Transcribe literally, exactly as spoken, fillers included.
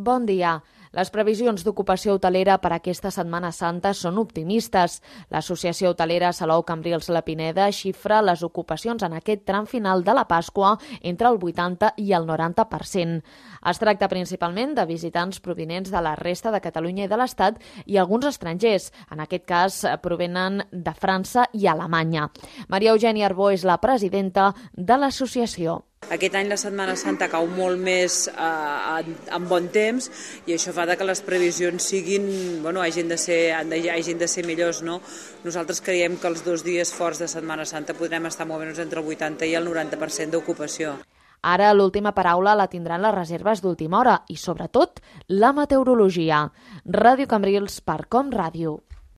Bon dia. Les previsions d'ocupació hotelera per aquesta Setmana Santa són optimistes. L'Associació Hotelera Salou Cambrils La Pineda xifra les ocupacions en aquest tram final de la Pasqua entre el vuitanta i el noranta per cent. Es tracta principalment de visitants provinents de la resta de Catalunya i de l'Estat i alguns estrangers. En aquest cas provenen de França i Alemanya. Maria Eugènia Arbó és la presidenta de l'associació. Aquest any la Setmana Santa cau molt més eh, en bon temps i això fa que les previsions siguin, bueno, hagin de ser, hagin de ser millors, no? Nosaltres creiem que els dos dies forts de Setmana Santa podrem estar movent-nos entre el vuitanta i el noranta per cent d'ocupació. Ara l'última paraula la tindran les reserves d'última hora i, sobretot, la meteorologia. Ràdio Cambrils per Com Ràdio.